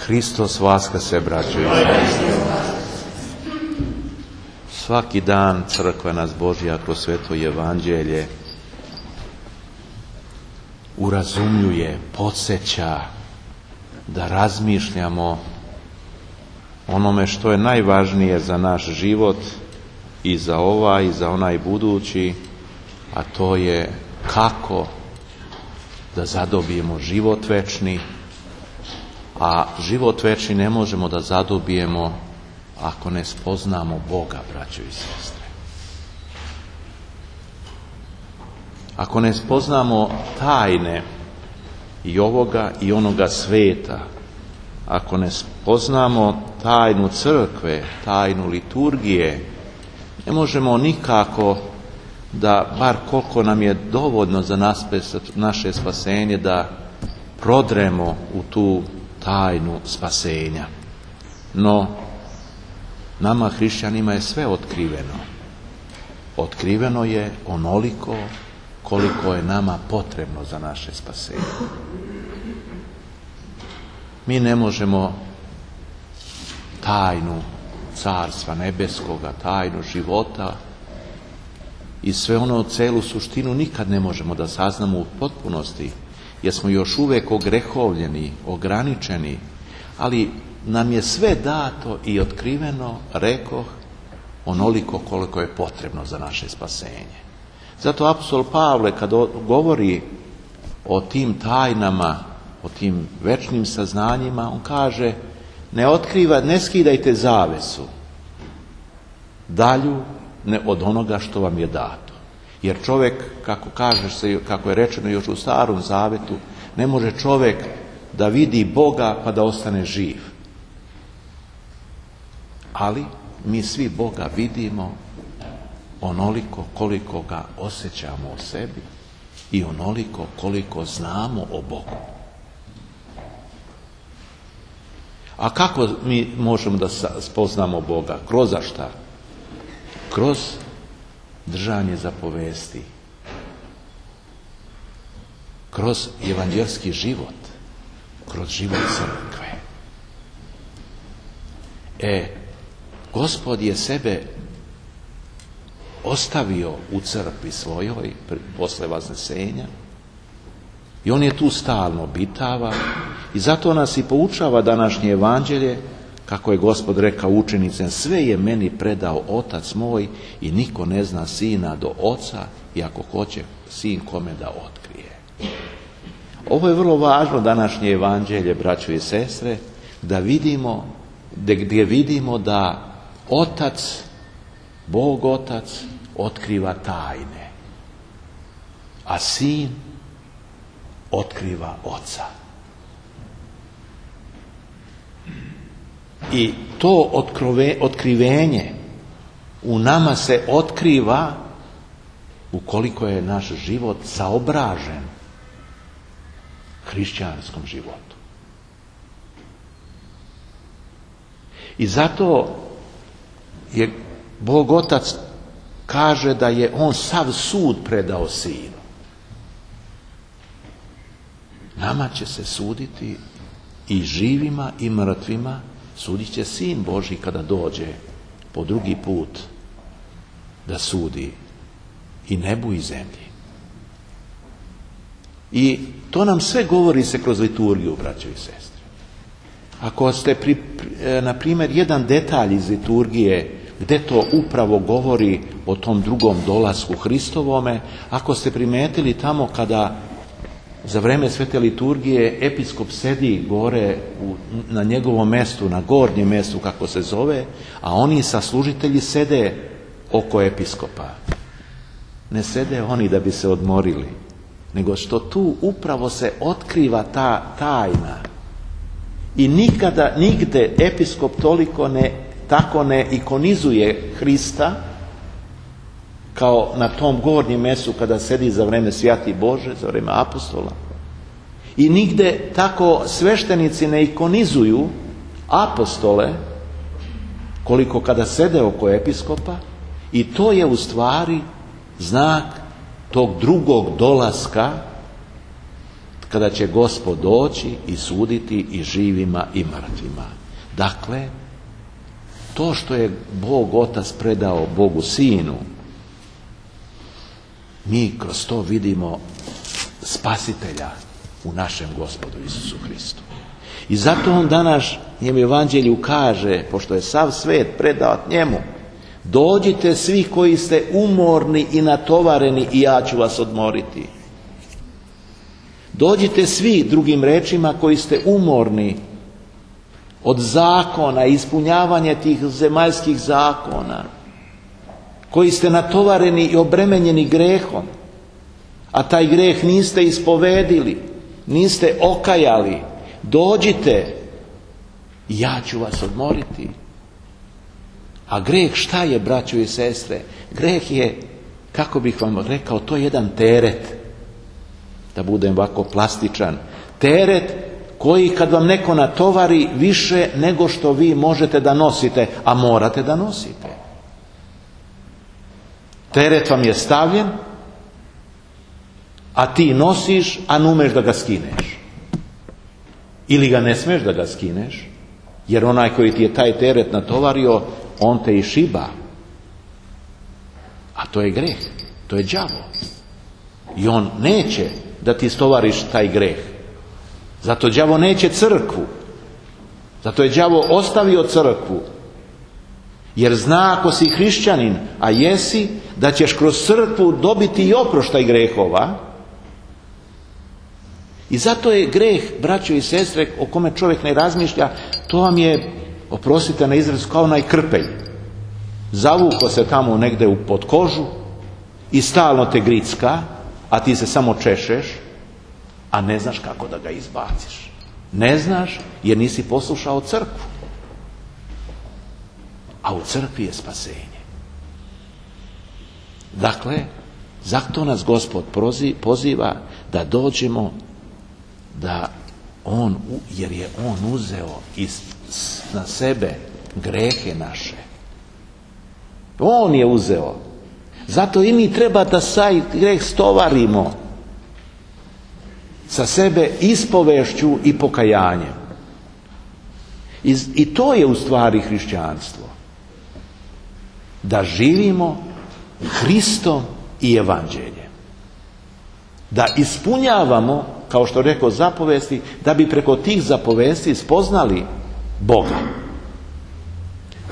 Hristos vaskrse, braćo i sestre. Svaki dan crkva nas Božja kroz sveto evanđelje urazumljuje, podsjeća da razmišljamo onome što je najvažnije za naš život i za ovaj i za onaj budući, a to je kako da zadobijemo život večni, a život večni ne možemo da zadobijemo ako ne spoznamo Boga, braćo i sestre. Ako ne spoznamo tajne i ovoga i onoga sveta, ako ne spoznamo tajnu crkve, tajnu liturgije, ne možemo nikako da, bar koliko nam je dovoljno za naše spasenje, da prodremo u tu tajnu spasenja. No, nama hrišćanima je sve otkriveno. Otkriveno je onoliko koliko je nama potrebno za naše spasenje. Mi ne možemo tajnu Carstva nebeskoga, tajnu života i sve ono, celu suštinu nikad ne možemo da saznamo u potpunosti, jer smo još uvijek ogrehovljeni, ograničeni, ali nam je sve dato i otkriveno, rekoh, onoliko koliko je potrebno za naše spasenje. Zato apostol Pavle, kad govori o tim tajnama, o tim večnim saznanjima, on kaže: ne skidajte zavesu dalju od onoga što vam je dato. Jer čovjek, kako je rečeno još u Starom Zavetu, ne može čovjek da vidi Boga pa da ostane živ. Ali mi svi Boga vidimo onoliko koliko ga osjećamo u sebi i onoliko koliko znamo o Bogu. A kako mi možemo da spoznamo Boga? Kroz šta? Kroz držanje zapovesti. Kroz evanđelski život. Kroz život crkve. Gospod je sebe ostavio u crkvi svojoj posle vaznesenja i on je tu stalno obitava i zato nas i poučava današnje evanđelje, kako je Gospod rekao učenicima: sve je meni predao Otac moj i niko ne zna Sina do Oca, i ako hoće Sin kome da otkrije. Ovo je vrlo važno današnje evanđelje, braćo i sestre, da vidimo, gdje vidimo da Otac, Bog Otac, otkriva tajne, a Sin otkriva Oca. I to otkrivenje u nama se otkriva ukoliko je naš život saobražen hrišćanskom životu. I zato je Bog Otac kaže da je on sav sud predao Sinu. Nama će se suditi, i živima i mrtvima, sudit će Sin Božji kada dođe po drugi put da sudi i nebu i zemlji. I to nam sve govori se kroz liturgiju, braćo i sestre. Ako ste, na primjer, jedan detalj iz liturgije gdje to upravo govori o tom drugom dolasku Hristovome, ako ste primetili tamo kada za vreme svete liturgije episkop sedi gore na njegovom mjestu, na gornjem mjestu kako se zove, a oni saslužitelji sede oko episkopa. Ne sede oni da bi se odmorili, nego što tu upravo se otkriva ta tajna. I nikada, nigde episkop tako ne ikonizuje Hrista kao na tom gornjem mjestu kada sedi za vreme Svjati Bože, za vreme apostola. I nigde tako sveštenici ne ikonizuju apostole koliko kada sede oko episkopa, i to je u stvari znak tog drugog dolaska kada će Gospod doći i suditi i živima i mrtvima. Dakle, to što je Bog Otac predao Bogu Sinu, mi kroz to vidimo spasitelja u našem Gospodu Isusu Hristu. I zato on danas njem evanđelju kaže, pošto je sav svet predat njemu, dođite svi koji ste umorni i natovareni i ja ću vas odmoriti. Dođite svi, drugim rečima, koji ste umorni od zakona, ispunjavanja tih zemaljskih zakona, koji ste natovareni i obremenjeni grehom, a taj greh niste ispovedili, niste okajali, dođite i ja ću vas odmoriti. A greh šta je, braćo i sestre? Greh je, kako bih vam rekao, to je jedan teret, da budem ovako plastičan, teret koji kad vam neko natovari više nego što vi možete da nosite, a morate da nosite. Teret vam je stavljen, a ti nosiš, a ne umeš da ga skineš. Ili ga ne smeš da ga skineš, jer onaj koji ti je taj teret natovario, on te i šiba. A to je greh, to je đavo. I on neće da ti stovariš taj greh. Zato đavo neće crkvu. Zato je đavo ostavio crkvu. Jer zna, ako si hrišćanin, a jesi, da ćeš kroz crkvu dobiti i oproštaj grehova. I zato je greh, braćo i sestre, o kome čovjek ne razmišlja, to vam je, oprostite na izraz, kao onaj krpelj. Zavuko se tamo negde pod kožu i stalno te gricka, a ti se samo češeš, a ne znaš kako da ga izbaciš. Ne znaš jer nisi poslušao crkvu. A u crkvi je spasenje. Dakle, zato nas Gospod poziva da dođemo, da on, jer je on uzeo na sebe grehe naše. On je uzeo. Zato i mi treba da saj greh stovarimo sa sebe ispovešću i pokajanjem. I to je u stvari hrišćanstvo. Da živimo Hristom i evanđeljem. Da ispunjavamo, kao što rekao, zapovesti, da bi preko tih zapovesti spoznali Boga.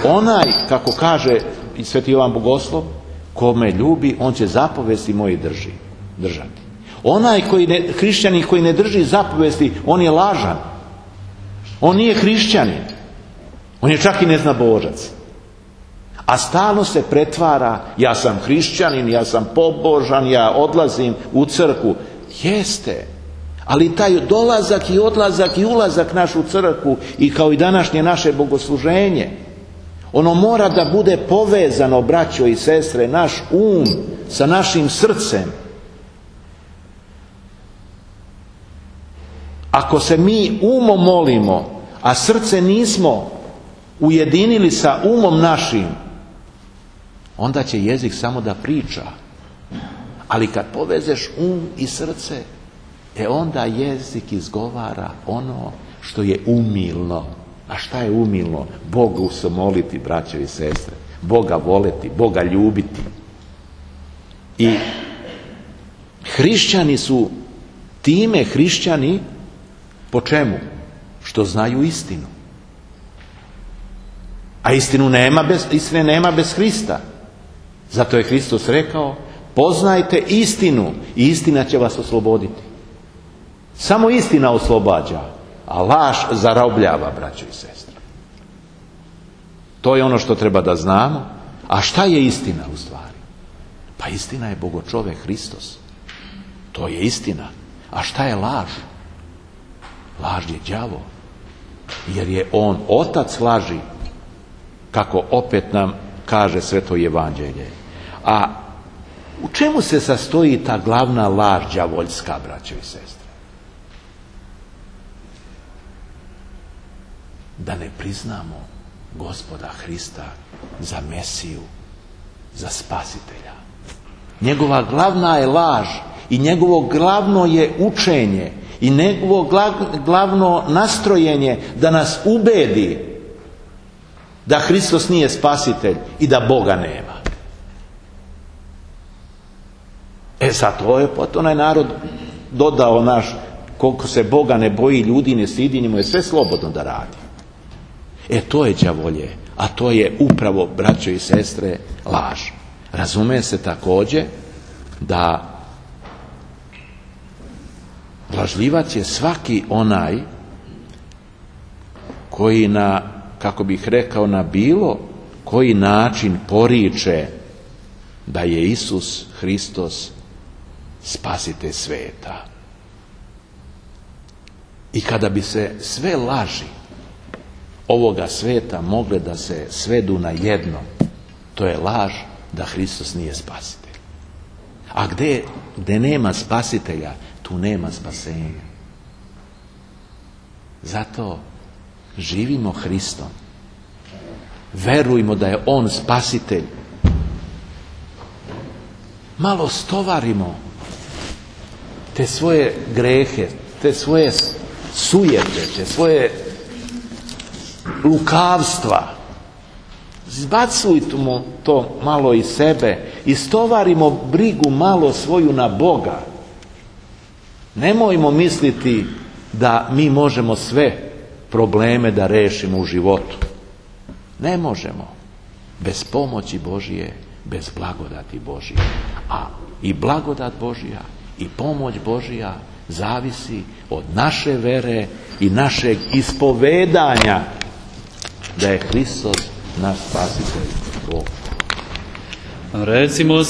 Onaj, kako kaže Sveti Jovan Bogoslov, ko me ljubi, on će zapovesti moje držati. Onaj hrišćanin koji ne drži zapovesti, on je lažan. On nije hrišćanin. On je čak i neznabožac. A stalno se pretvara, ja sam hrišćanin, ja sam pobožan, ja odlazim u crkvu. Jeste. Ali taj dolazak i odlazak i ulazak naš u crkvu, i kao i današnje naše bogosluženje, ono mora da bude povezano, braćo i sestre, naš um sa našim srcem. Ako se mi umom molimo, a srce nismo ujedinili sa umom našim, onda će jezik samo da priča. Ali kad povezeš um i srce, onda jezik izgovara ono što je umilno. A šta je umilno? Bogu se moliti, braćo i sestre. Boga voleti, Boga ljubiti. I hrišćani su time hrišćani po čemu? Što znaju istinu. A istine nema bez Hrista. Zato je Hristos rekao, poznajte istinu i istina će vas osloboditi. Samo istina oslobađa, a laž zarobljava, braćo i sestre. To je ono što treba da znamo. A šta je istina u stvari? Pa istina je Bogočovek Hristos. To je istina. A šta je laž? Laž je đavo. Jer je on otac laži, kako opet nam kaže Sveto evanđelje. A u čemu se sastoji ta glavna laž đavoljska, braćo i sestre? Da ne priznamo Gospoda Hrista za Mesiju, za Spasitelja. Njegova glavna je laž i njegovo glavno je učenje i njegovo glavno nastrojenje da nas ubedi da Hristos nije spasitelj i da Boga nema. Zato je onaj narod dodao naš, koliko se Boga ne boji, ljudi ne stidi, njemu je sve slobodno da radi. To je đavolje, a to je upravo, braćo i sestre, laž. Razume se također da lažljivac je svaki onaj koji kako bih rekao, na bilo koji način poriče da je Isus Hristos spasitelj sveta. I kada bi se sve laži ovoga sveta mogle da se svedu na jedno, to je laž da Hristos nije spasitelj. A gdje nema spasitelja, tu nema spasenja. Zato živimo Hristom. Verujmo da je On spasitelj. Malo stovarimo te svoje grehe, te svoje sujete, te svoje lukavstva. Zbacujmo to malo iz sebe i stovarimo brigu malo svoju na Boga. Nemojmo misliti da mi možemo sve probleme da rešimo u životu. Ne možemo. Bez pomoći Božije, bez blagodati Božije. A i blagodat Božija i pomoć Božija zavisi od naše vere i našeg ispovedanja da je Hristos naš spasitelj Bog. Recimo